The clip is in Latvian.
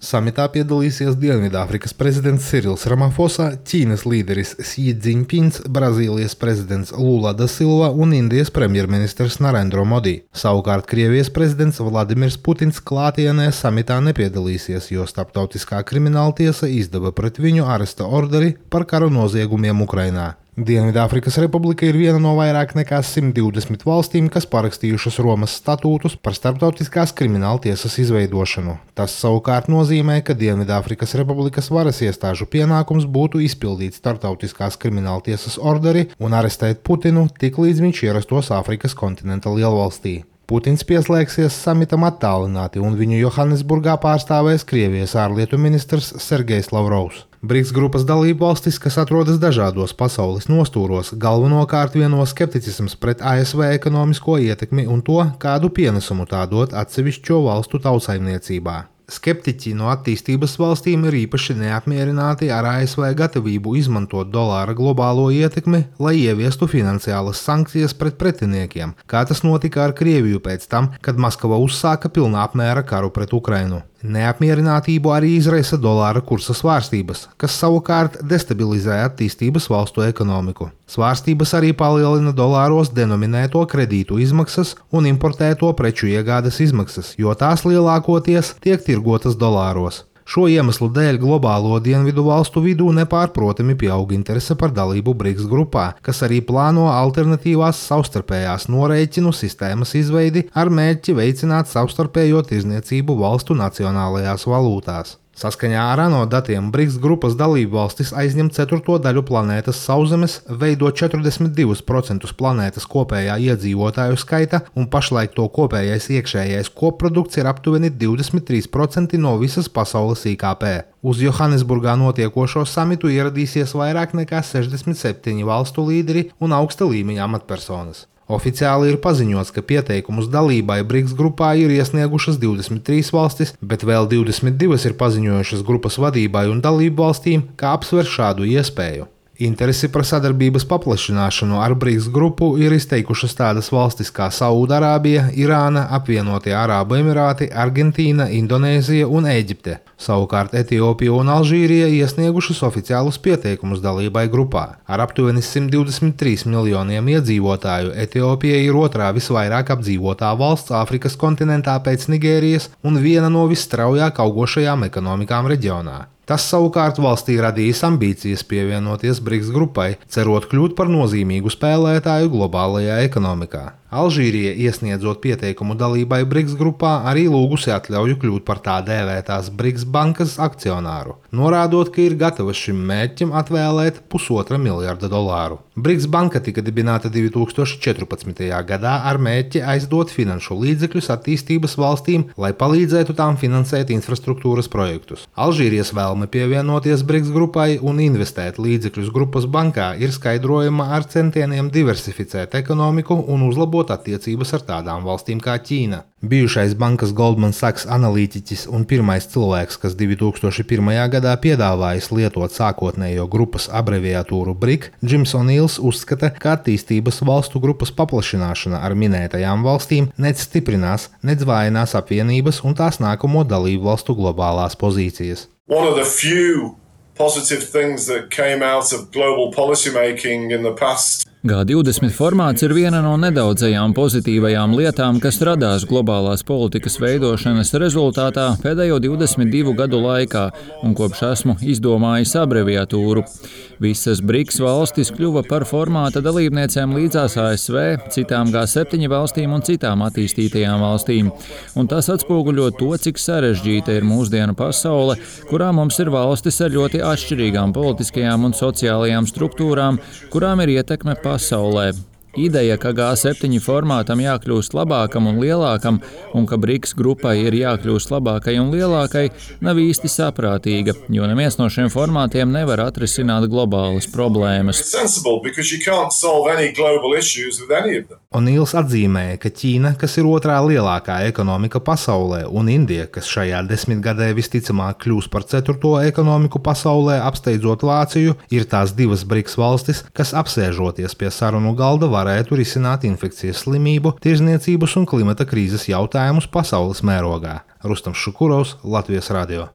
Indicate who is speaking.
Speaker 1: Samitā piedalīsies Dienvidāfrikas prezidents Sirils Ramafosa, Ķīnas līderis Xi Jinpings, Brazīlijas prezidents Lula da Silva un Indijas premjerministrs Narendra Modi. Savukārt Krievijas prezidents Vladimirs Putins klātienē samitā nepiedalīsies, jo Starptautiskā krimināltiesa izdeva pret viņu aresta orderi par kara noziegumiem Ukrainā. Dienvidāfrikas Republika ir viena no vairāk nekā 120 valstīm, kas parakstījušas Romas statūtus par Starptautiskās krimināltiesas izveidošanu. Tas savukārt nozīmē, ka Dienvidāfrikas Republikas varas iestāžu pienākums būtu izpildīt Starptautiskās krimināltiesas orderi un arestēt Putinu, tiklīdz viņš ierastos Āfrikas kontinenta lielvalstī. Putins pieslēgsies samitam attālināti, un viņu Johannesburgā pārstāvēs Krievijas ārlietu ministrs Sergejs Lavrovs. BRICS grupas dalību valstis, kas atrodas dažādos pasaules nostūros, galvenokārt vieno skepticisms pret ASV ekonomisko ietekmi un to, kādu pienesumu tā dot atsevišķo valstu tautsaimniecībā. Skeptiķi no attīstības valstīm ir īpaši neapmierināti ar ASV gatavību izmantot dolāra globālo ietekmi, lai ieviestu finansiālas sankcijas pret pretiniekiem, kā tas notika ar Krieviju pēc tam, kad Maskava uzsāka pilnā apmēra karu pret Ukrainu. Neapmierinātību arī izraisa dolāra kursa svārstības, kas savukārt destabilizē attīstības valstu ekonomiku. Svārstības arī palielina dolāros denominēto kredītu izmaksas un importēto preču iegādes izmaksas, jo tās lielākoties tiek tirgotas dolāros. Šo iemeslu dēļ globālo dienvidu valstu vidū nepārprotami pieaug interese par dalību BRICS grupā, kas arī plāno alternatīvās savstarpējās norēķinu sistēmas izveidi ar mērķi veicināt savstarpējo tirdzniecību valstu nacionālajās valūtās. Saskaņā ar ANO datiem BRICS grupas dalību valstis aizņem 4. daļu planētas sauszemes, veido 42% planētas kopējā iedzīvotāju skaita, un pašlaik to kopējais iekšējais koprodukts ir aptuveni 23% no visas pasaules IKP. Uz Johannesburgā notiekošo samitu ieradīsies vairāk nekā 67 valstu līderi un augsta līmeņa amatpersonas. Oficiāli ir paziņots, ka pieteikumus dalībai BRICS grupā ir iesniegušas 23 valstis, bet vēl 22 ir paziņojušas grupas vadībai un dalību valstīm, kā apsver šādu iespēju. Interesi par sadarbības paplašināšanu ar BRICS grupu ir izteikušas tādas valstis kā Saūdarābija, Irāna, Apvienotie Arābu Emirāti, Argentīna, Indonēzija un Ēģipte. Savukārt Etiopija un Alžīrija iesniegušas oficiālus pieteikumus dalībai grupā. Ar aptuveni 123 miljoniem iedzīvotāju Etiopija ir otrā visvairāk apdzīvotā valsts Āfrikas kontinentā pēc Nigērijas un viena no visstraujāk augošajām ekonomikām reģionā. Tas savukārt valstī radījis ambīcijas pievienoties BRICS grupai, cerot kļūt par nozīmīgu spēlētāju globālajā ekonomikā. Alžīrija, iesniedzot pieteikumu dalībai BRICS grupā, arī lūgusi atļauju kļūt par tā dēvētās BRICS bankas akcionāru, norādot, ka ir gatava šim mērķim atvēlēt $1,5 miljarda. BRICS banka tika dibināta 2014. gadā ar mērķi aizdot finanšu līdzekļus attīstības valstīm, lai palīdzētu tām finansēt infrastruktūras projektus. Alžīrijas vēlme pievienoties BRICS grupai un investēt līdzekļus grupas bankā ir skaidrojama ar centieniem diversificēt ekonomiku un uzlabot attiecības ar tādām valstīm kā Ķīna. Bijušais bankas Goldman Sachs analītiķis un pirmais cilvēks, kas 2001. gadā piedāvājis lietot sākotnējo grupas abreviatūru BRIC, Jims O'Neils uzskata, ka attīstības valstu grupas paplašināšana ar minētajām valstīm nec stiprinās, nec vājinās apvienības un tās nākamo dalību valstu globālās pozīcijas.
Speaker 2: One of the few positive things that came out of global policy making in the past.
Speaker 3: G20 formāts ir viena no nedaudzajām pozitīvajām lietām, kas radās globālās politikas veidošanas rezultātā pēdējo 22 gadu laikā, un kopš esmu izdomājis abreviatūru. Visas BRICS valstis kļuva par formāta dalībniecēm līdzās ASV, citām G7 valstīm un citām attīstītajām valstīm. Un tas atspoguļo to, cik sarežģīta ir mūsdienu pasaule, kurā mums ir valstis ar ļoti atšķirīgām politiskajām un sociālajām struktūrām, kurām ir ietekme pasaulē. Ideja, ka G7 formātam jākļūst labākam un lielākam, un ka BRICS grupai ir jākļūst labākai un lielākai, nav īsti saprātīga, jo neviens no šiem formātiem nevar atrisināt globālas problēmas.
Speaker 1: O'Neils atzīmēja, ka Ķīna, kas ir otrā lielākā ekonomika pasaulē, un Indija, kas šajā desmitgadē visticamāk kļūs par 4. ekonomiku pasaulē, apsteidzot Vāciju, ir tās divas BRICS valstis, kas apsēžoties pie sarunu galda varētu risināt infekcijas slimību, tirdzniecības un klimata krīzes jautājumus pasaules mērogā. Rustams Šukurovs, Latvijas radio.